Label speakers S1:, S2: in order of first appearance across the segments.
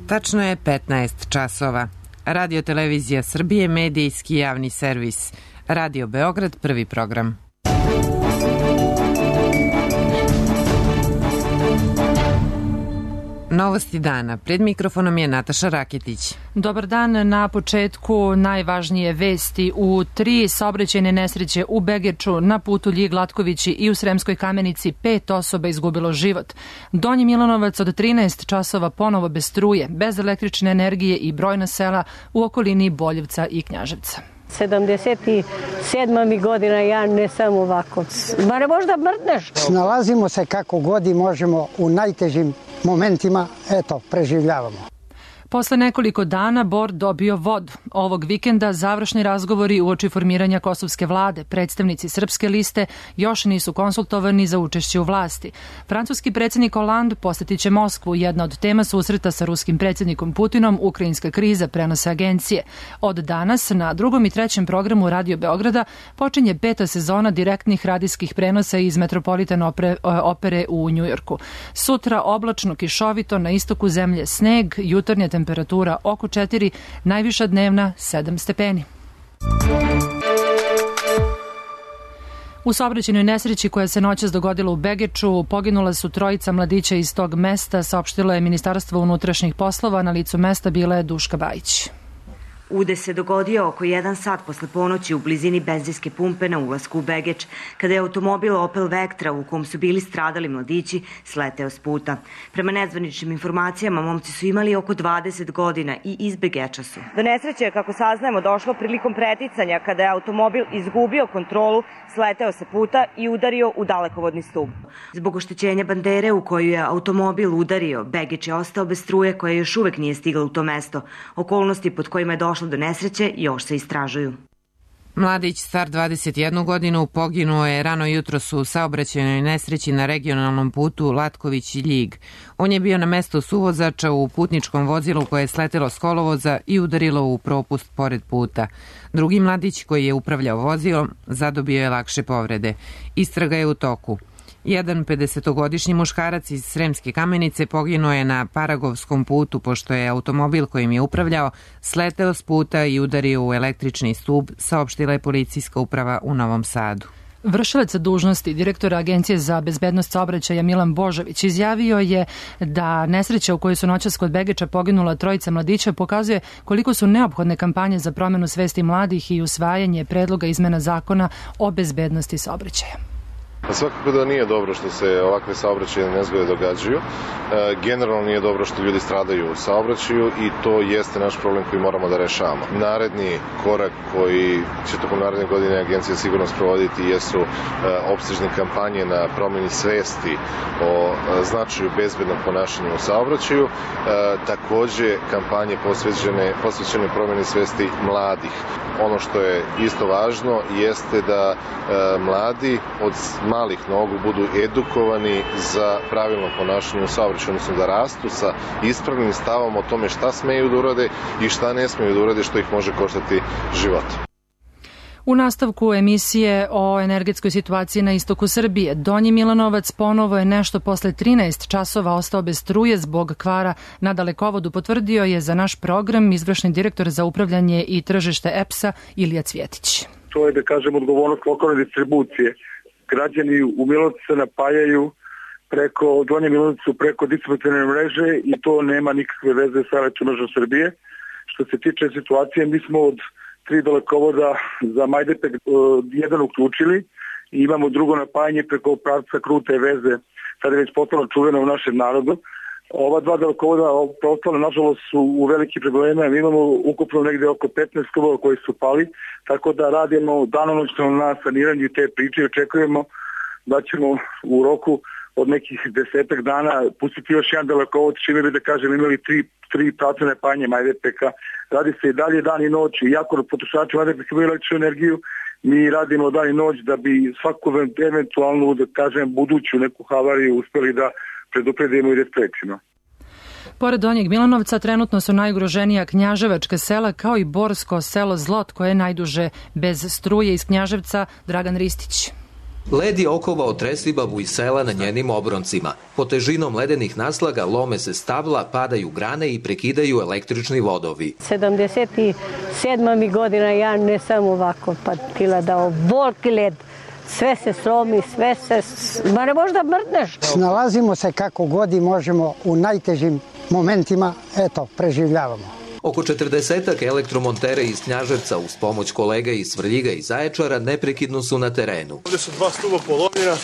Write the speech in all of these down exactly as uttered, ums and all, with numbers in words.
S1: Tačno je petnaest časova. Radio Televizija Srbije, medijski javni servis. Radio Beograd, prvi program. Novosti dana. Pred mikrofonom je Nataša Raketić.
S2: Dobar dan. Na početku najvažnije vesti. U tri saobraćajne nesreće u Begeču, na putu Ljig-Latkovići i u Sremskoj Kamenici pet osoba izgubilo život. Donji Milanovac od trinaest časova ponovo bez struje, bez električne energije i brojna sela u okolini Boljevca i Knjaževca.
S3: sedamdeset sedma mi godina, ja ne sam ovako. Ma ne možda mrtneš.
S4: Snalazimo se kako god i možemo u najtežim momentima, eto, preživljavamo.
S2: Posle nekoliko dana Bor dobio vodu. Ovog vikenda završni razgovori uoči formiranja kosovske vlade. Predstavnici Srpske liste još nisu konsultovani za učešće u vlasti. Francuski predsjednik Hollande posjetit će Moskvu. Jedna od tema susreta sa ruskim predsjednikom Putinom, ukrajinska kriza, prenose agencije. Od danas na drugom i trećem programu Radio Beograda počinje peta sezona direktnih radijskih prenosa iz Metropolitan opere, opere u Njujorku. Sutra oblačno, kišovito, na istoku zemlje sneg, jutarnje temperatura oko četiri, najviša dnevna sedam stepeni. U saobraćajnoj nesreći koja se noćas dogodila u Begeču poginula su trojica mladića iz tog mesta, saopštilo je Ministarstvo unutrašnjih poslova. Na licu mesta bila je Duška Bajić.
S5: Udes se dogodio oko jedan sat posle ponoći u blizini benzinske pumpe na ulasku u Begeč, kada je automobil Opel Vectra u kom su bili stradali mladići sleteo s puta. Prema nezvaničnim informacijama, momci su imali oko dvadeset godina i iz Begeča su. Do nesreće je, kako saznajemo, došlo prilikom preticanja kada je automobil izgubio kontrolu, sleteo sa puta i udario u dalekovodni stub. Zbog oštećenja bandere u koju je automobil udario, Begeč je ostao bez struje koja još uvek nije stigla u to mesto. Okolnosti pod kojima je došlo do nesreće još se istražuju.
S1: Mladić star dvadeset jednu godinu poginuo je rano jutros u saobraćajnoj nesreći na regionalnom putu Latković-Ljig. On je bio na mestu suvozača u putničkom vozilu koje je sletelo s kolovoza i udarilo u propust pored puta. Drugi mladić koji je upravljao vozilom zadobio je lakše povrede. Istraga je u toku. Jedan pedesetogodišnji muškarac iz Sremske Kamenice poginuo je na Paragovskom putu pošto je automobil kojim je upravljao sleteo s puta i udario u električni stub, saopštila je policijska uprava u Novom Sadu.
S2: Vršilac dužnosti direktora Agencije za bezbednost saobraćaja Milan Božović izjavio je da nesreća u kojoj su noćas kod Begeča poginula trojica mladića pokazuje koliko su neophodne kampanje za promenu svesti mladih i usvajanje predloga izmena zakona o bezbednosti saobraćaja.
S6: Svakako da nije dobro što se ovakve saobraćajne nezgode događaju. E, generalno nije dobro što ljudi stradaju u saobraćaju i to jeste naš problem koji moramo da rešavamo. Naredni korak koji će tokom naredne godine agencija sigurno sprovoditi jesu e, opsežne kampanje na promeni svesti o e, značaju bezbednog ponašanja u saobraćaju. E, takođe kampanje posvećene, posvećene promeni svesti mladih. Ono što je isto važno jeste da e, mladi od malih nogu budu edukovani za pravilno ponašanje u saobraćaju, odnosno da rastu sa ispravnim stavom o tome šta smeju da urade i šta ne smeju da urade, što ih može koštati život.
S2: U nastavku emisije o energetskoj situaciji na istoku Srbije, Donji Milanovac ponovo je nešto posle trinaest časova ostao bez struje zbog kvara na dalekovodu, potvrdio je za naš program izvršni direktor za upravljanje i tržište E P S-a Ilija Cvjetić.
S7: To je, da kažem, odgovornost lokalne distribucije. Građani u Milanovcu se napajaju preko Donje Milanovcu, preko distributivne mreže i to nema nikakve veze sa elektromrežom Srbije. Što se tiče situacije, mi smo od tri dalekovoda za Majdanpek jedan uključili i imamo drugo napajanje preko pravca Krute veze. Sada je već postalo čuveno u našem narodu. Ova dva dalekovoda preostale, nažalost, su u veliki probleme. Mi imamo ukupno negde oko petnaest stubova koji su pali, tako da radimo danonoćno na saniranju te priče i očekujemo da ćemo u roku od nekih desetak dana pustiti još jedan dalekovod, čime bi, da kažem, imali tri, tri pravca napajanja Majdanpeka. Radi se i dalje dan i noć, iako potrošači Majdanpeka imaju električnu energiju, mi radimo dan i noć da bi svaku eventualnu, da kažem, buduću neku havariju uspeli da predupredimo i da sprečimo.
S2: Pored Donjeg Milanovca trenutno su najugroženija knjaževačka sela kao i borsko selo Zlot koje je najduže bez struje. Iz Knjaževca Dragan Ristić.
S8: Led je okovao Tresibabu i sela na njenim obroncima. Pod težinom ledenih naslaga lome se stabla, padaju grane i prekidaju električni vodovi.
S3: sedamdeset sedma mi godina ja ne sam ovako patila dao volki led. Sve se slomi, sve se... Ma ne možda mrdneš.
S4: Snalazimo se kako god i možemo u najtežim momentima, eto, preživljavamo.
S8: Oko četrdesetak elektromontera iz Knjaževca uz pomoć kolega iz Svrljiga i Zaječara neprekidno su na terenu.
S9: Ovde su dva stuba polomljena,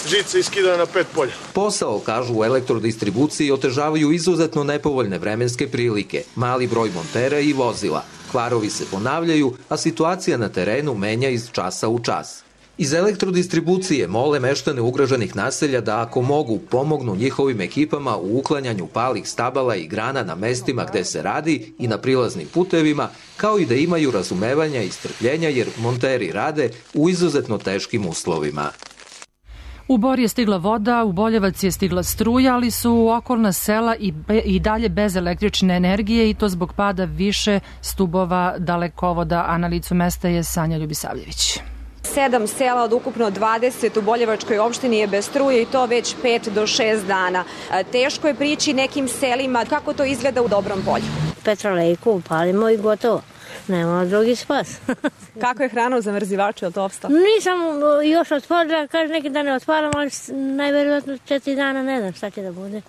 S9: žica iskidana na pet polja.
S8: Posao, kažu u elektrodistribuciji, otežavaju izuzetno nepovoljne vremenske prilike, mali broj montera i vozila. Kvarovi se ponavljaju, a situacija na terenu menja iz časa u čas. Iz elektrodistribucije mole meštane ugroženih naselja da ako mogu pomognu njihovim ekipama u uklanjanju palih stabala i grana na mestima gde se radi i na prilaznim putevima, kao i da imaju razumevanja i strpljenja jer monteri rade u izuzetno teškim uslovima.
S2: U Bor je stigla voda, u Boljevac je stigla struja, ali su okolna sela i, be, i dalje bez električne energije i to zbog pada više stubova dalekovoda, a na licu mesta je Sanja Ljubisavljević.
S10: Sedam sela od ukupno dvadeset u Boljevačkoj opštini je bez struje i to već pet do šest dana. Teško je prići nekim selima. Kako to izgleda u Dobrom Polju?
S3: Petrolejku upalimo i gotovo. Nema drugi spas.
S10: Kako je hrana u zamrzivaču, je li to opstao?
S3: Nisam još otvorila, kaže neki dan ne otvaram, ali najvjerojatno četiri dana ne znam šta će da bude.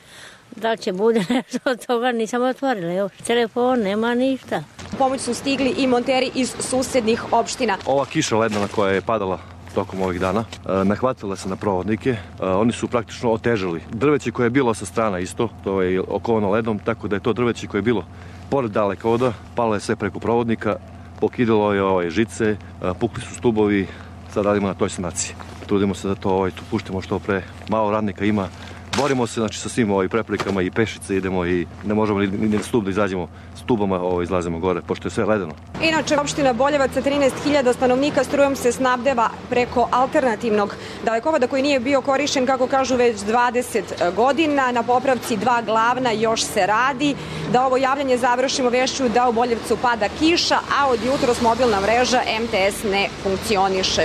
S3: Da li će bude nešto od toga, nisam otvorila još. Telefon, nema ništa.
S10: U pomoć su stigli i monteri iz susednih opština.
S9: Ova kiša ledena koja je padala tokom ovih dana, nahvatila se na provodnike, oni su praktično otežali. Drveće koje je bilo sa strana isto, to je okovano ledom, tako da je to drveće koje je bilo pored dalekovoda, palo je sve preko provodnika, pokidalo je ovaj žice, pukli su stubovi, sad radimo na toj sanaciji. Trudimo se da to ovaj, tu puštimo što pre, malo radnika ima. Borimo se znači, sa svim ovim preplikama i pešice idemo i ne možemo ni, ni stup da izađemo stubama, ovo, izlazimo gore, pošto je sve ledeno.
S10: Inače, opština Boljevac sa trinaest hiljada stanovnika strujom se snabdeva preko alternativnog dalekovoda koji nije bio korišćen, kako kažu, već dvadeset godina. Na popravci dva glavna još se radi. Da ovo javljanje završimo vešću da u Boljevcu pada kiša, a od jutros mobilna mreža em te es ne funkcioniše.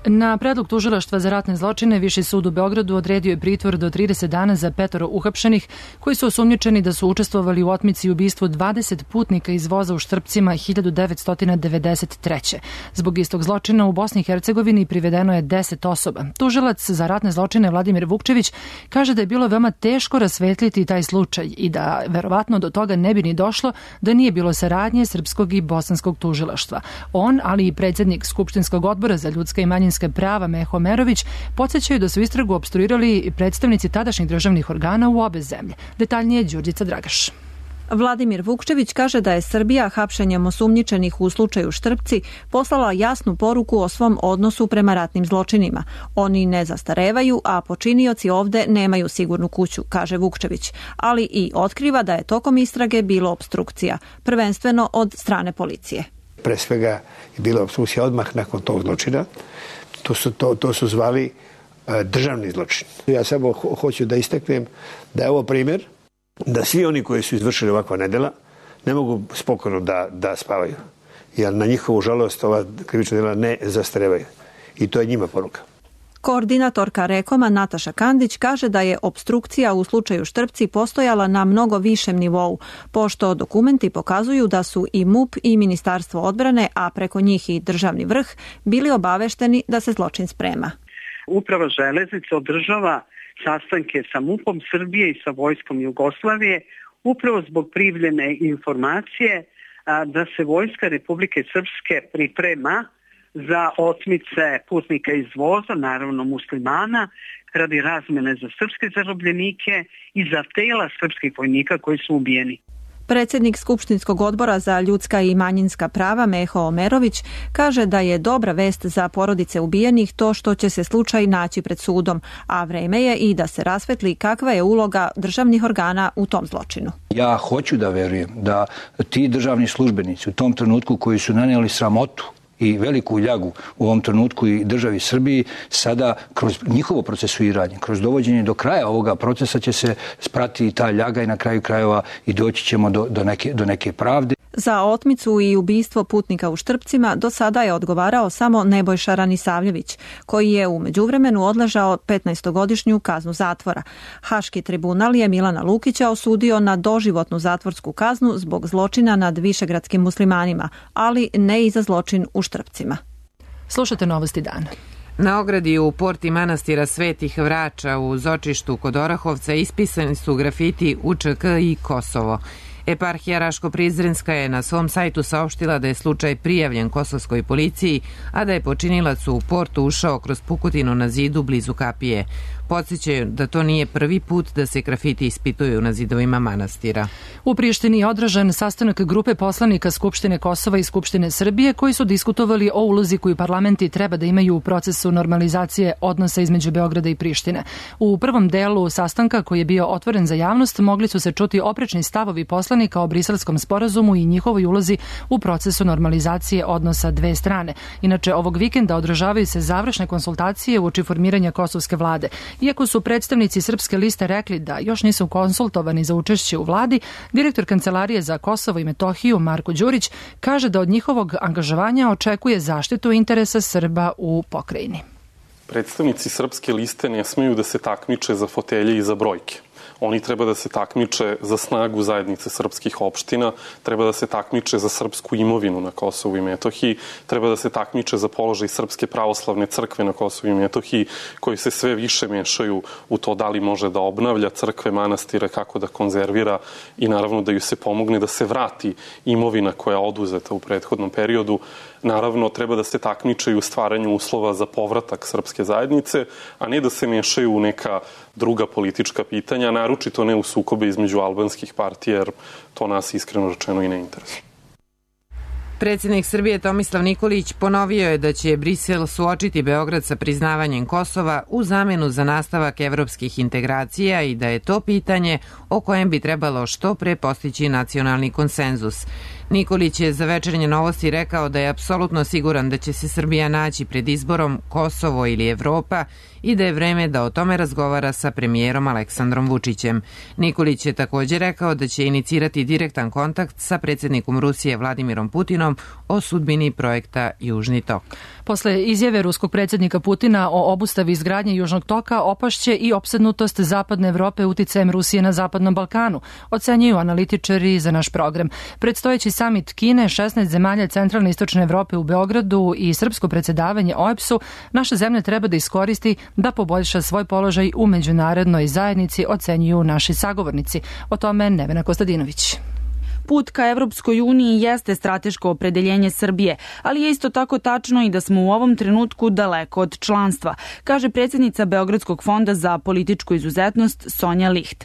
S2: Na predlog tužilaštva za ratne zločine Viši sud u Beogradu odredio je pritvor do trideset dana za petoro uhapšenih koji su osumnjičeni da su učestvovali u otmici i ubistvu dvadeset putnika iz voza u Štrpcima hiljadu devetsto devedeset treće. Zbog istog zločina u Bosni i Hercegovini privedeno je deset osoba. Tužilac za ratne zločine Vladimir Vukčević kaže da je bilo veoma teško rasvetliti taj slučaj i da verovatno do toga ne bi ni došlo da nije bilo saradnje srpskog i bosanskog tužilaštva. On, ali i predsjednik Skupštinskog odbora za ljudska i manjinska prava Meho Omerović podsjećaju da su istragu opstruirali predstavnici tadašnjih državnih organa u obe zemlje. Detaljnije Đurđica Dragaš.
S11: Vladimir Vukčević kaže da je Srbija hapšenjem osumnjičenih u slučaju Štrpci poslala jasnu poruku o svom odnosu prema ratnim zločinima. Oni ne zastarevaju, a počinioci ovde nemaju sigurnu kuću, kaže Vukčević, ali i otkriva da je tokom istrage bilo opstrukcija, prvenstveno od strane policije.
S12: Pre svega je bila opstrukcija odmah nakon tog zločina. To su, to, to su zvali uh, državni zločin. Ja samo ho, hoću da istaknem da je ovo primjer da svi oni koji su izvršili ovakva nedjela ne mogu spokojno da, da spavaju. Jer na njihovu žalost ova krivična djela ne zastarevaju. I to je njima poruka.
S11: Koordinatorka Rekoma Nataša Kandić kaže da je opstrukcija u slučaju Štrpci postojala na mnogo višem nivou, pošto dokumenti pokazuju da su i M U P i Ministarstvo odbrane, a preko njih i državni vrh, bili obavešteni da se zločin sprema.
S13: Uprava železnica održava sastanke sa M U P-om Srbije i sa Vojskom Jugoslavije upravo zbog privljene informacije da se Vojska Republike Srpske priprema za otmice putnika iz voza, naravno muslimana, radi razmene za srpske zarobljenike i za tela srpskih vojnika koji su ubijeni.
S11: Predsjednik Skupštinskog odbora za ljudska i manjinska prava Meho Omerović kaže da je dobra vest za porodice ubijenih to što će se slučaj naći pred sudom, a vreme je i da se rasvetli kakva je uloga državnih organa u tom zločinu.
S14: Ja hoću da verujem da ti državni službenici u tom trenutku koji su nanijeli sramotu i veliku ljagu u ovom trenutku i državi Srbiji, sada kroz njihovo procesuiranje, kroz dovođenje do kraja ovoga procesa će se sprati ta ljaga i na kraju krajeva i doći ćemo do, do, neke, do neke pravde.
S11: Za otmicu i ubistvo putnika u Štrpcima do sada je odgovarao samo Nebojša Ranisavljević, koji je u međuvremenu odležao petnaestogodišnju kaznu zatvora. Haški tribunal je Milana Lukića osudio na doživotnu zatvorsku kaznu zbog zločina nad višegradskim muslimanima, ali ne i za zločin u Štrpcima.
S2: Slušate novosti dana.
S1: Na ogradi u porti manastira Svetih Vrača u Zočištu kod Orahovca ispisani su grafiti U Č K i Kosovo. Eparhija Raško-Prizrenska je na svom sajtu saopštila da je slučaj prijavljen kosovskoj policiji, a da je počinilac u portu ušao kroz pukotinu na zidu blizu kapije. Podsjećaju da to nije prvi put da se grafiti ispituju na zidovima manastira.
S2: U Prištini je održan sastanak grupe poslanika Skupštine Kosova i Skupštine Srbije koji su diskutovali o ulozi koju parlamenti treba da imaju u procesu normalizacije odnosa između Beograda i Prištine. U prvom delu sastanka, koji je bio otvoren za javnost, mogli su se čuti oprečni stavovi poslanika o Briselskom sporazumu i njihovoj ulozi u procesu normalizacije odnosa dve strane. Inače, ovog vikenda održavaju se završne konsultacije uoči formiranja kosovske vlade. Iako su predstavnici Srpske liste rekli da još nisu konsultovani za učešće u vladi, direktor Kancelarije za Kosovo i Metohiju Marko Đurić kaže da od njihovog angažovanja očekuje zaštitu interesa Srba u pokrajini.
S15: Predstavnici Srpske liste ne smeju da se takmiče za fotelje i za brojke. Oni treba da se takmiče za snagu zajednice srpskih opština, treba da se takmiče za srpsku imovinu na Kosovu i Metohiji, treba da se takmiče za položaj Srpske pravoslavne crkve na Kosovu i Metohiji, koji se sve više mešaju u to da li može da obnavlja crkve, manastire, kako da konzervira i naravno da ju se pomogne da se vrati imovina koja je oduzeta u prethodnom periodu. Naravno, treba da se takmičaju u stvaranju uslova za povratak srpske zajednice, a ne da se mešaju u neka druga politička pitanja, naročito ne u sukobe između albanskih partija, jer to nas iskreno rečeno i ne interesuje.
S1: Predsjednik Srbije Tomislav Nikolić ponovio je da će Brisel suočiti Beograd sa priznavanjem Kosova u zamenu za nastavak evropskih integracija i da je to pitanje o kojem bi trebalo što pre postići nacionalni konsenzus. Nikolić je za Večernje novosti rekao da je apsolutno siguran da će se Srbija naći pred izborom Kosovo ili Evropa i da je vreme da o tome razgovara sa premijerom Aleksandrom Vučićem. Nikolić je također rekao da će inicirati direktan kontakt sa predsjednikom Rusije Vladimirom Putinom o sudbini projekta Južni tok.
S2: Posle izjave ruskog predsjednika Putina o obustavi izgradnje Južnog toka opašće i opsednutost Zapadne Evrope uticajem Rusije na Zapadnom Balkanu, ocenjuju analitičari za naš program. Predstojeći samit Kine, šesnaest zemalja centralne i istočne Evrope u Beogradu i srpsko predsjedavanje O E B S-u naša zemlja treba da iskoristi da poboljša svoj položaj u međunarodnoj zajednici, ocenjuju naši sagovornici. O tome Nevena Kostadinović.
S16: Put ka Evropskoj uniji jeste strateško opredeljenje Srbije, ali je isto tako tačno i da smo u ovom trenutku daleko od članstva, kaže predsjednica Beogradskog fonda za političku izuzetnost Sonja Licht.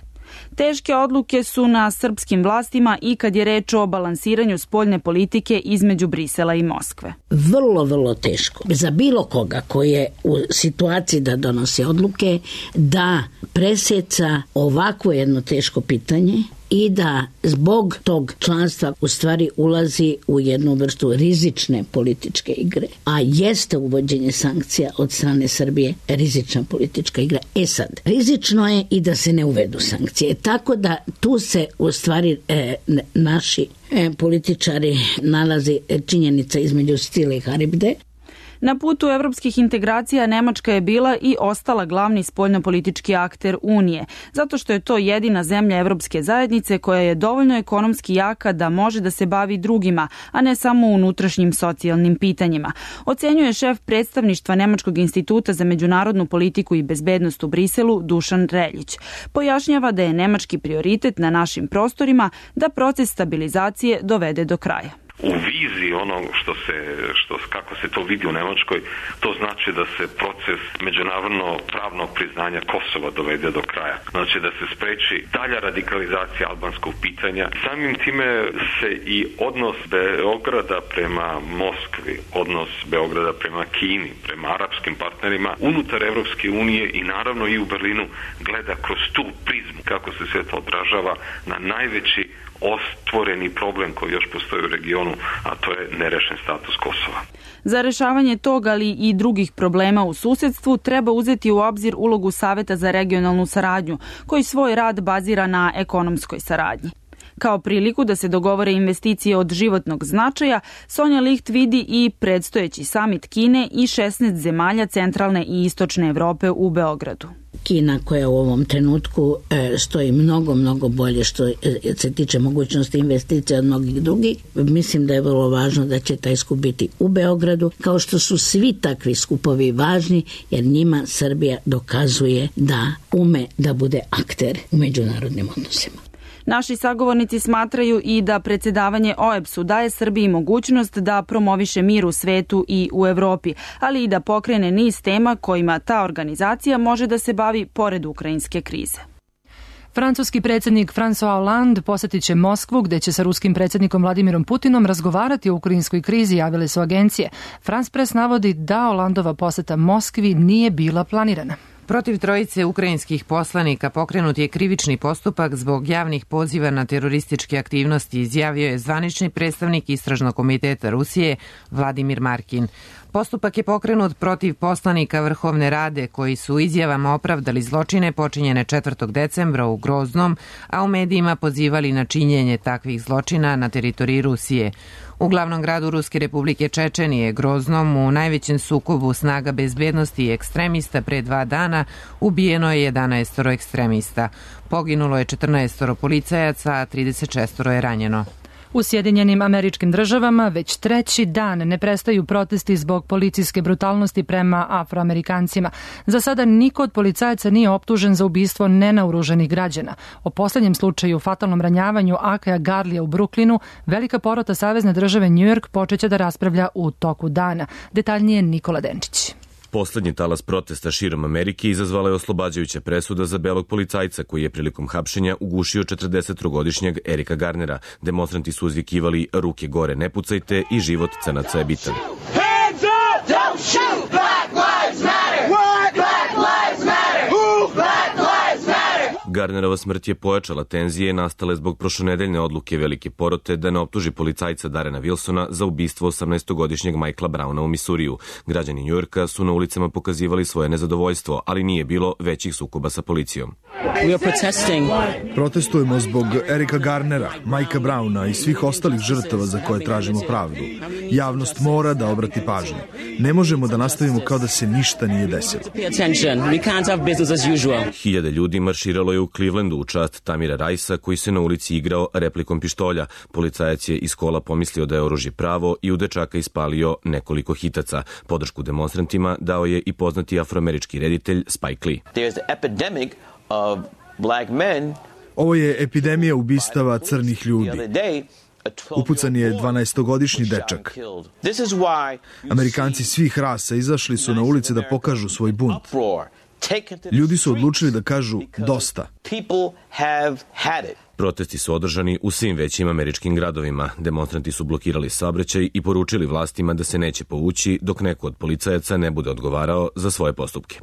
S16: Teške odluke su na srpskim vlastima i kad je reč o balansiranju spoljne politike između Brisela i Moskve.
S17: Vrlo, vrlo teško. Za bilo koga koji je u situaciji da donosi odluke, da preseca ovako jedno teško pitanje i da zbog tog članstva u stvari ulazi u jednu vrstu rizične političke igre, a jeste uvođenje sankcija od strane Srbije rizična politička igra. E sad, rizično je i da se ne uvedu sankcije, tako da tu se u stvari e, naši e, političari nalazi činjenica između Stile i Haribde.
S16: Na putu evropskih integracija Nemačka je bila i ostala glavni spoljnopolitički akter Unije, zato što je to jedina zemlja Evropske zajednice koja je dovoljno ekonomski jaka da može da se bavi drugima, a ne samo unutrašnjim socijalnim pitanjima. Ocenjuje šef predstavništva Nemačkog instituta za međunarodnu politiku i bezbednost u Briselu Dušan Reljić. Pojašnjava da je nemački prioritet na našim prostorima da proces stabilizacije dovede do kraja.
S18: U viziji onog što se, što, kako se to vidi u Nemačkoj, to znači da se proces međunarodno pravnog priznanja Kosova dovede do kraja. Znači da se spreči dalja radikalizacija albanskog pitanja. Samim time se i odnos Beograda prema Moskvi, odnos Beograda prema Kini, prema arapskim partnerima unutar Evropske unije i naravno i u Berlinu gleda kroz tu prizmu kako se sve to odražava na najveći ostvoreni problem koji još postoji u regionu, a to je nerešen status Kosova.
S16: Za rešavanje tog, ali i drugih problema u susedstvu, treba uzeti u obzir ulogu Saveta za regionalnu saradnju, koji svoj rad bazira na ekonomskoj saradnji. Kao priliku da se dogovore investicije od životnog značaja, Sonja Licht vidi i predstojeći samit Kine i šesnaest zemalja centralne i istočne Evrope u Beogradu.
S17: Kina koja u ovom trenutku e, stoji mnogo, mnogo bolje što se tiče mogućnosti investicija od mnogih drugih. Mislim da je vrlo važno da će taj skup biti u Beogradu, kao što su svi takvi skupovi važni, jer njima Srbija dokazuje da ume da bude akter u međunarodnim odnosima.
S16: Naši sagovornici smatraju i da predsedavanje O E B S-u daje Srbiji mogućnost da promoviše mir u svetu i u Evropi, ali i da pokrene niz tema kojima ta organizacija može da se bavi pored ukrajinske krize.
S2: Francuski predsjednik François Hollande posjetit će Moskvu, gde će sa ruskim predsjednikom Vladimirom Putinom razgovarati o ukrajinskoj krizi, javile su agencije. France Press navodi da Hollandova posjeta Moskvi nije bila planirana.
S1: Protiv trojice ukrajinskih poslanika pokrenut je krivični postupak zbog javnih poziva na terorističke aktivnosti, izjavio je zvanični predstavnik Istražnog komiteta Rusije Vladimir Markin. Postupak je pokrenut protiv poslanika Vrhovne rade koji su izjavama opravdali zločine počinjene četvrtog decembra u Groznom, a u medijima pozivali na činjenje takvih zločina na teritoriji Rusije. U glavnom gradu Ruske republike Čečenije, Groznom, u najvećem sukobu snaga bezbednosti i ekstremista pre dva dana ubijeno je jedanaestoro ekstremista. Poginulo je četrnaestoro policajaca, a trideset šestoro je ranjeno.
S2: U Sjedinjenim Američkim Državama već treći dan ne prestaju protesti zbog policijske brutalnosti prema Afroamerikancima. Za sada niko od policajaca nije optužen za ubistvo nenaoruženih građana. O poslednjem slučaju fatalnom ranjavanju Akaja Garlija u Bruklinu velika porota Savezne države New York počeće da raspravlja u toku dana. Detaljnije Nikola Denčić.
S19: Poslednji talas protesta širom Amerike izazvala je oslobađajuća presuda za belog policajca koji je prilikom hapšenja ugušio četrdesettrogodišnjeg Erika Garnera. Demonstranti su uzvikivali ruke gore ne pucajte i život crnaca je bitan. Hands up! Don't shoot! Black lives matter! What? Black lives matter! Who? Black lives matter! Garnerova smrt je pojačala tenzije nastale zbog prošlonedeljne odluke velike porote da ne optuži policajca Darrena Wilsona za ubistvo osamnaestogodišnjeg Michaela Browna u Misuriju. Građani Njujorka su na ulicama pokazivali svoje nezadovoljstvo, ali nije bilo većih sukoba sa policijom.
S20: Protestujemo zbog Erika Garnera, Mikea Browna i svih ostalih žrtava za koje tražimo pravdu. Javnost mora da obrati pažnju. Ne možemo da nastavimo kao da se ništa nije desilo.
S19: Hiljade ljudi marširalo je u Clevelandu u čast Tamira Rajsa koji se na ulici igrao replikom pištolja. Policajac je iz kola pomislio da je oružje pravo i u dečaka ispalio nekoliko hitaca. Podršku demonstrantima dao je i poznati afroamerički reditelj Spike Lee.
S20: Ovo je epidemija ubistava crnih ljudi. Upucan je dvanaestogodišnji dečak. Amerikanci svih rasa izašli su na ulice da pokažu svoj bunt. Ljudi su odlučili da kažu dosta.
S19: Protesti su održani u svim većim američkim gradovima. Demonstranti su blokirali saobraćaj i poručili vlastima da se neće povući dok neko od policajaca ne bude odgovarao za svoje postupke.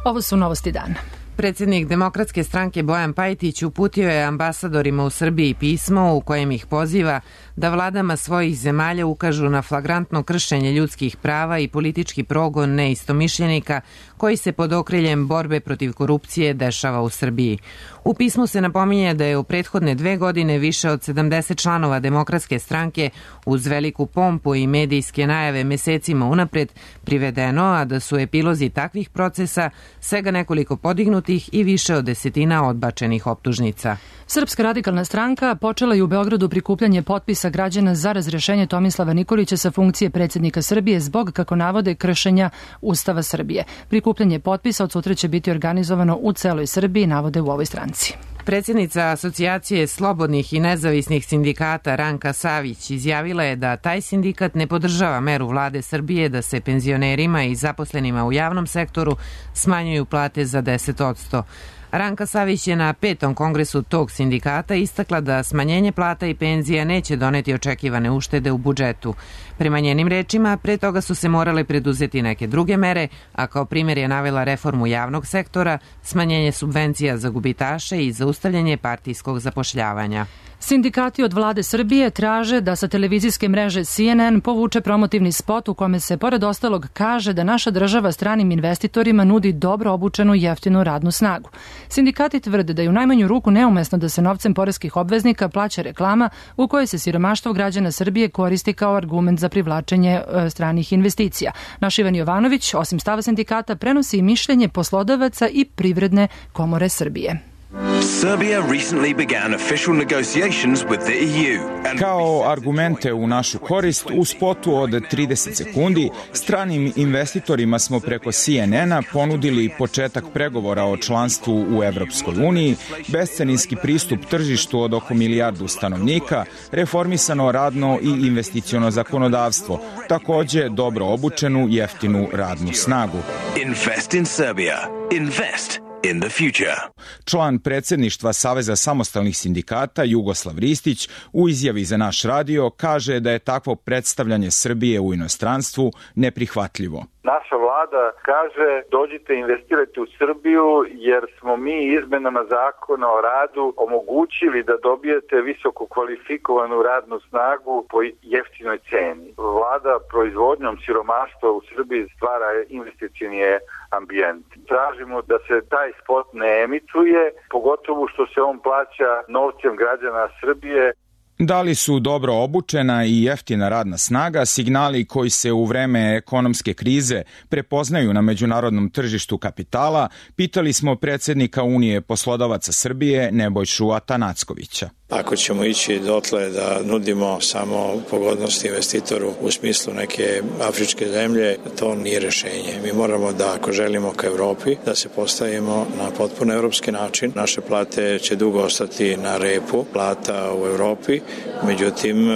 S2: Ovo su novosti dana.
S1: Predsjednik Demokratske stranke Bojan Pajtić uputio je ambasadorima u Srbiji pismo u kojem ih poziva da vladama svojih zemalja ukažu na flagrantno kršenje ljudskih prava i politički progon neistomišljenika koji se pod okriljem borbe protiv korupcije dešava u Srbiji. U pismu se napominje da je u prethodne dve godine više od sedamdeset članova Demokratske stranke uz veliku pompu i medijske najave mesecima unapred privedeno, a da su epilozi takvih procesa svega nekoliko podignutih i više od desetina odbačenih optužnica.
S2: Srpska radikalna stranka počela je u Beogradu prikupljanje potpisa građana za razrešenje Tomislava Nikolića sa funkcije predsjednika Srbije zbog, kako navode, kršenja Ustava Srbije. Prikupljanje potpisa od sutra će biti organizovano u celoj Srbiji, navode u ovoj stranci.
S1: Predsjednica Asocijacije slobodnih i nezavisnih sindikata Ranka Savić izjavila je da taj sindikat ne podržava meru vlade Srbije da se penzionerima i zaposlenima u javnom sektoru smanjuju plate za deset posto. Ranka Savić je na petom kongresu tog sindikata istakla da smanjenje plata i penzija neće doneti očekivane uštede u budžetu. Prema njenim rečima, pre toga su se morale preduzeti neke druge mere, a kao primjer je navela reformu javnog sektora, smanjenje subvencija za gubitaše i zaustavljanje partijskog zapošljavanja.
S2: Sindikati od vlade Srbije traže da sa televizijske mreže C N N povuče promotivni spot u kome se pored ostalog kaže da naša država stranim investitorima nudi dobro obučenu i jeftinu radnu snagu. Sindikati tvrde da je u najmanju ruku neumesno da se novcem poreskih obveznika plaća reklama u kojoj se siromaštvo građana Srbije koristi kao argument za privlačenje e, stranih investicija. Naš Ivan Jovanović, osim stava sindikata, prenosi i mišljenje poslodavaca i Privredne komore Srbije.
S21: Serbia recently began official negotiations with the E U.
S22: Kao argumente u našu korist, u spotu od trideset sekundi, stranim investitorima smo preko C N N-a ponudili početak pregovora o članstvu u Evropskoj uniji, bescarinski pristup tržištu od oko milijardu stanovnika, reformisano radno i investiciono zakonodavstvo, takođe dobro obučenu jeftinu radnu snagu.
S21: Invest in Serbia. Invest in the future.
S22: Član predsjedništva Saveza samostalnih sindikata Jugoslav Ristić u izjavi za naš radio kaže da je takvo predstavljanje Srbije u inostranstvu neprihvatljivo.
S23: Naša vlada kaže dođite investirajte u Srbiju jer smo mi izmenama zakona o radu omogućili da dobijete visoko kvalifikovanu radnu snagu po jeftinoj ceni. Vlada proizvodnjom siromaštva u Srbiji stvara investicioni ambijent. Tražimo da se taj spot ne emituje, pogotovo što se on plaća novcem građana Srbije.
S22: Da li su dobro obučena i jeftina radna snaga signali koji se u vreme ekonomske krize prepoznaju na međunarodnom tržištu kapitala, pitali smo predsjednika Unije poslodavaca Srbije Nebojšu Atanackovića.
S24: Ako ćemo ići dotle da nudimo samo pogodnosti investitoru u smislu neke afričke zemlje, to nije rešenje. Mi moramo da, ako želimo ka Evropi, da se postavimo na potpuno evropski način. Naše plate će dugo ostati na repu plata u Evropi, međutim,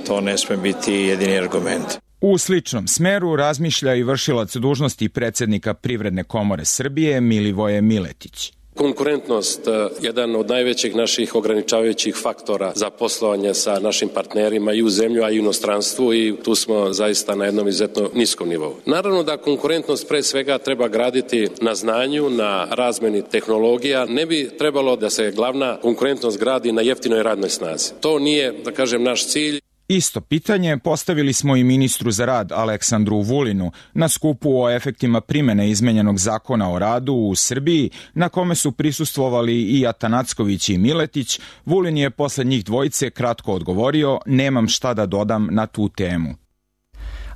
S24: to ne sme biti jedini argument.
S22: U sličnom smeru razmišlja i vršilac dužnosti predsjednika Privredne komore Srbije Milivoje Miletić.
S25: Konkurentnost, jedan od najvećih naših ograničavajućih faktora za poslovanje sa našim partnerima i u zemlju, a i u inostranstvu i tu smo zaista na jednom izuzetno niskom nivou. Naravno da konkurentnost pre svega treba graditi na znanju, na razmeni tehnologija. Ne bi trebalo da se glavna konkurentnost gradi na jeftinoj radnoj snazi. To nije, da kažem, naš cilj.
S22: Isto pitanje postavili smo i ministru za rad Aleksandru Vulinu na skupu o efektima primene izmenjenog zakona o radu u Srbiji, na kome su prisustvovali i Atanacković i Miletić. Vulin je posle njih dvojice kratko odgovorio: nemam šta da dodam na tu temu.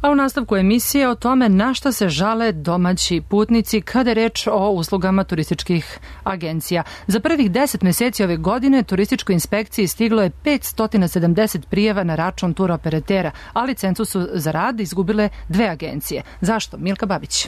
S2: A u nastavku emisije o tome na šta se žale domaći putnici kada je reč o uslugama turističkih agencija. Za prvih deset meseci ove godine turističkoj inspekciji stiglo je petsto sedamdeset prijava na račun turoperatera, a licencu su za rad izgubile dve agencije. Zašto? Milka Babić.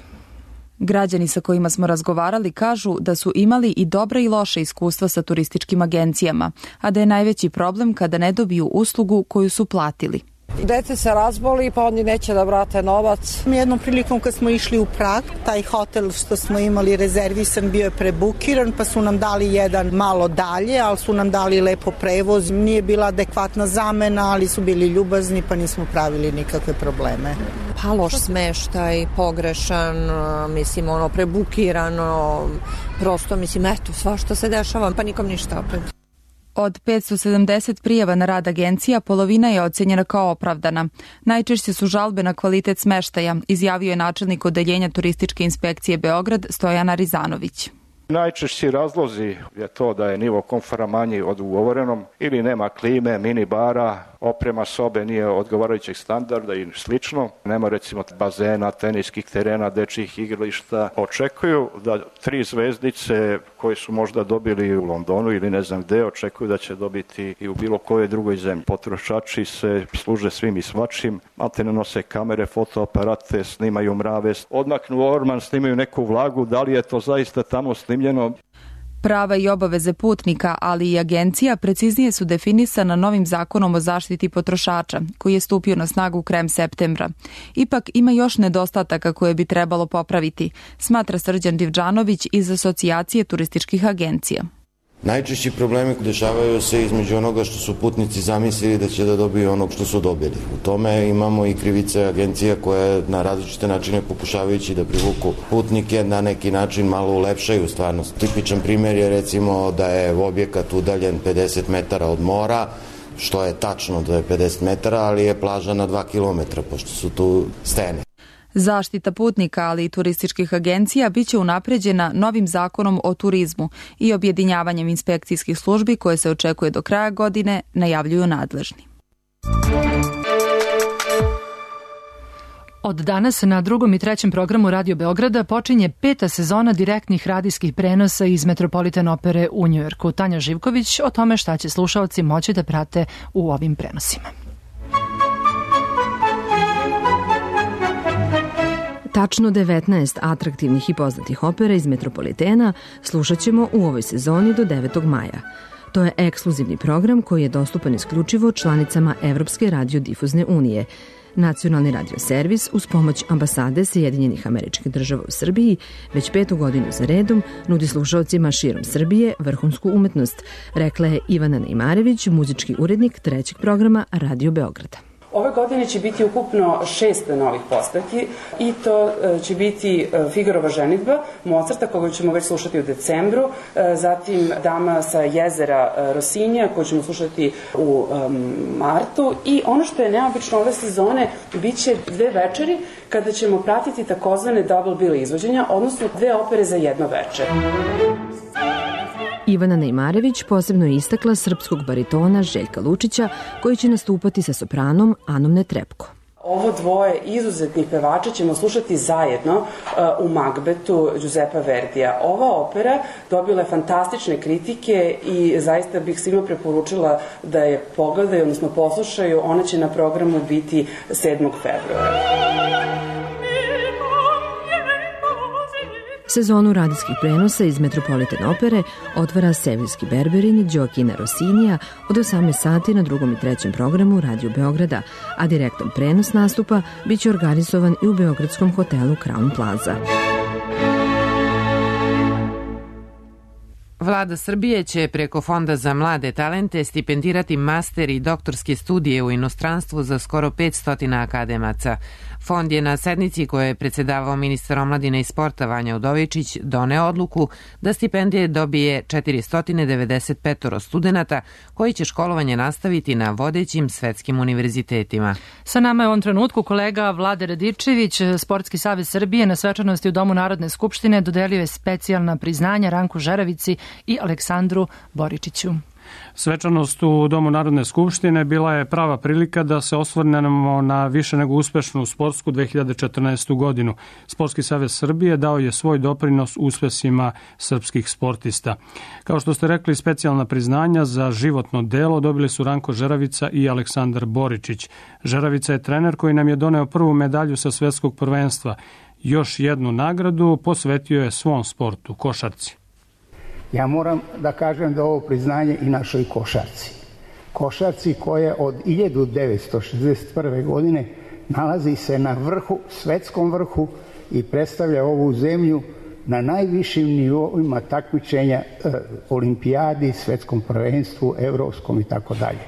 S26: Građani sa kojima smo razgovarali kažu da su imali i dobra i loša iskustva sa turističkim agencijama, a da je najveći problem kada ne dobiju uslugu koju su platili.
S27: Dete se razboli pa oni neće da vrate novac.
S28: Jednom prilikom kad smo išli u Prag, taj hotel što smo imali rezervisan bio je prebukiran pa su nam dali jedan malo dalje, ali su nam dali lepo prevoz. Nije bila adekvatna zamena, ali su bili ljubazni pa nismo pravili nikakve probleme.
S29: Pa loš smeštaj, pogrešan, mislim ono prebukirano, prosto mislim eto svašta se dešava pa nikom ništa opet.
S26: Od petsto sedamdeset prijava na rad agencija, polovina je ocenjena kao opravdana. Najčešće su žalbe na kvalitet smeštaja, izjavio je načelnik odeljenja turističke inspekcije Beograd Stojan Arizanović.
S30: Najčešći razlozi je to da je nivo komfora manji od ugovorenom ili nema klime, mini bara, oprema sobe nije odgovarajućeg standarda i slično. Nema recimo bazena, teniskih terena, dečjih igrališta. Očekuju da tri zvezdice koje su možda dobili u Londonu ili ne znam gde, očekuju da će dobiti i u bilo kojoj drugoj zemlji. Potrošači se služe svim i svačim, maltene nose kamere, fotoaparate, snimaju mrave, odmaknu orman, snimaju neku vlagu, da li je to zaista tamo snimljeno?
S26: Prava i obaveze putnika, ali i agencija preciznije su definisana novim zakonom o zaštiti potrošača, koji je stupio na snagu krajem septembra. Ipak ima još nedostataka koje bi trebalo popraviti, smatra Srđan Divđanović iz Asocijacije turističkih agencija.
S31: Najčešći problemi dešavaju se između onoga što su putnici zamislili da će da dobiju onog što su dobili. U tome imamo i krivice agencija koje na različite načine pokušavajući da privuku putnike na neki način malo ulepšaju stvarnost. Tipičan primjer je recimo da je objekat udaljen pedeset metara od mora što je tačno da je pedeset metara, ali je plaža na dva kilometra, pošto su tu stene.
S26: Zaštita putnika, ali i turističkih agencija biće unapređena novim zakonom o turizmu i objedinjavanjem inspekcijskih službi koje se očekuje do kraja godine, najavljuju nadležni.
S2: Od danas na drugom i trećem programu Radio Beograda počinje peta sezona direktnih radijskih prenosa iz Metropolitan opere u Njujorku. Tanja Živković o tome šta će slušaoci moći da prate u ovim prenosima.
S3: Tačno devetnaest atraktivnih i poznatih opera iz Metropolitena slušat ćemo u ovoj sezoni do devetog maja. To je ekskluzivni program koji je dostupan isključivo članicama Evropske radiodifuzne unije. Nacionalni radioservis uz pomoć ambasade Sjedinjenih Američkih Država u Srbiji već petu godinu za redom nudi slušaocima širom Srbije vrhunsku umetnost, rekla je Ivana Nejmarević, muzički urednik trećeg programa Radio Beograda.
S4: Ove godine će biti ukupno šest novih postavki i to će biti Figarova ženidba Mozarta, koga ćemo već slušati u decembru, zatim Dama sa jezera Rosinija, koju ćemo slušati u martu, i ono što je neobično ove sezone, bit će dve večeri kada ćemo pratiti takozvane double bill izvođenja, odnosno dve opere za jedno veče.
S3: Ivana Nejmarević posebno je istakla srpskog baritona Željka Lučića, koji će nastupati sa sopranom Anom Netrepko.
S4: Ovo dvoje izuzetnih pevača ćemo slušati zajedno uh, u Magbetu Giuseppa Verdija. Ova opera dobila je fantastične kritike i zaista bih svima preporučila da je pogledaju, odnosno poslušaju. Ona će na programu biti sedmog februara.
S3: Sezonu radijskih prenosa iz Metropolitan opere otvara Seviljski berberin Đoakina Rosinija od osamnaest sati na drugom i trećem programu Radio Beograda, a direktan prenos nastupa biće organizovan i u beogradskom hotelu Crown Plaza.
S1: Vlada Srbije će preko Fonda za mlade talente stipendirati master i doktorske studije u inostranstvu za skoro petsto akademaca. Fond je na sednici koje je predsedavao ministar omladine i sporta Vanja Udovičić doneo odluku da stipendije dobije četiristo devedeset pet studenata koji će školovanje nastaviti na vodećim svetskim univerzitetima.
S2: Sa nama je u ovom trenutku kolega Vlade Radičević. Sportski savez Srbije na svečanosti u Domu Narodne skupštine dodelio je specijalna priznanja Ranku Žeravici i Aleksandru Boričiću.
S5: Svečanost u Domu Narodne skupštine bila je prava prilika da se osvrnemo na više nego uspešnu sportsku dve hiljade četrnaestu. godinu. Sportski savez Srbije dao je svoj doprinos uspesima srpskih sportista. Kao što ste rekli, specijalna priznanja za životno delo dobili su Ranko Žeravica i Aleksandar Boričić. Žeravica je trener koji nam je doneo prvu medalju sa svetskog prvenstva. Još jednu nagradu posvetio je svom sportu, košarci.
S6: Ja moram da kažem da ovo priznanje i našoj košarci. Košarci koja od hiljadu devetsto šezdeset prve. godine nalazi se na vrhu, svetskom vrhu i predstavlja ovu zemlju na najvišim nivoima takmičenja e, olimpijadi, svetskom prvenstvu, evropskom i tako dalje.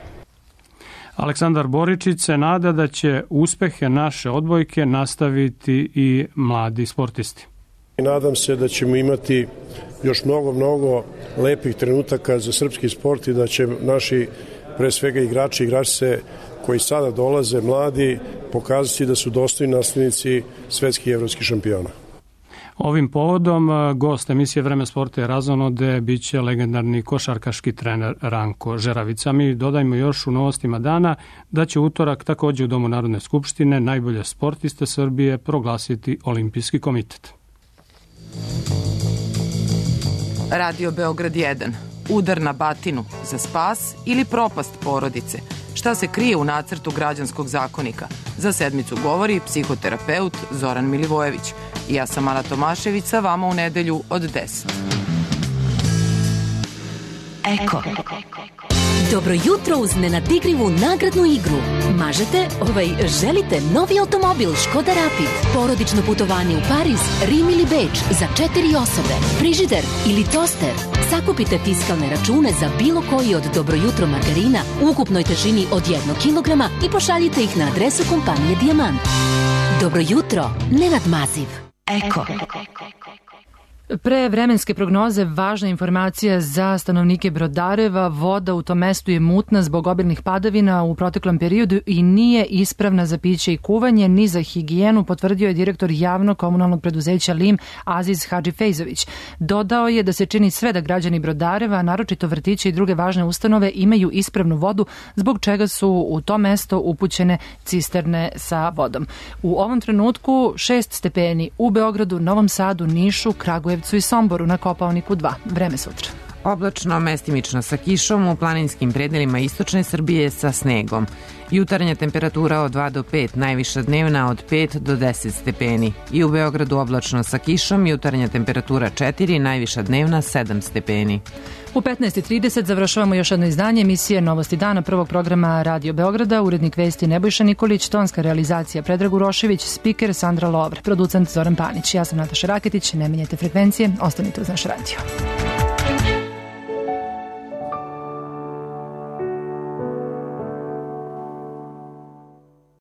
S5: Aleksandar Boričić se nada da će uspehe naše odbojke nastaviti i mladi sportisti.
S7: Nadam se da ćemo imati još mnogo, mnogo lepih trenutaka za srpski sport i da će naši, pre svega igrači i igračice koji sada dolaze, mladi, pokazati da su dostojni naslednici svetskih i evropskih šampiona.
S5: Ovim povodom gost emisije Vreme sporta i razonode biće legendarni košarkaški trener Ranko Žeravica. Mi dodajmo još u novostima dana da će utorak takođe u Domu Narodne skupštine najbolje sportiste Srbije proglasiti Olimpijski komitet.
S8: Radio Beograd jedan. Udar na batinu za spas ili propast porodice. Šta se krije u nacrtu građanskog zakonika? Za sedmicu govori psihoterapeut Zoran Milivojević. Ja sam Ana Tomašević, sa vama u nedelju od deset.
S9: Eko. Dobro jutro uz nenadigrivu nagradnu igru. Mažete, ovaj, želite novi automobil Škoda Rapid, porodično putovanje u Pariz, Rim ili Beč za četiri osobe, frižider ili toster. Sakupite fiskalne račune za bilo koji od Dobro jutro margarina u ukupnoj težini od jednog kilograma i pošaljite ih na adresu kompanije Dijamant. Dobro jutro, Nenad Maziv. Eko.
S2: Pre vremenske prognoze važna informacija za stanovnike Brodareva. Voda u tom mestu je mutna zbog obilnih padavina u proteklom periodu i nije ispravna za piće i kuvanje ni za higijenu, potvrdio je direktor javnog komunalnog preduzeća Lim Aziz Hadžifejzović. Dodao je da se čini sve da građani Brodareva, naročito vrtiće i druge važne ustanove, imaju ispravnu vodu, zbog čega su u to mesto upućene cisterne sa vodom. U ovom trenutku šest stepeni u Beogradu, Novom Sadu, Nišu, Kragujevcu i Somboru, na Kopaoniku dva. Vreme sutra.
S1: Oblačno, mestimično sa kišom, u planinskim predelima istočne Srbije sa snegom. Jutarnja temperatura od dva do pet, najviša dnevna od pet do deset stepeni. I u Beogradu oblačno sa kišom, jutarnja temperatura četiri, najviša dnevna sedam stepeni.
S2: U petnaest i trideset završavamo još jedno izdanje emisije Novosti dana prvog programa Radio Beograda, urednik vesti Nebojša Nikolić, tonska realizacija Predrag Urošević, spiker Sandra Lovr, producent Zoran Panić. Ja sam Nataša Raketić, ne menjajte frekvencije, ostanite uz naš radio.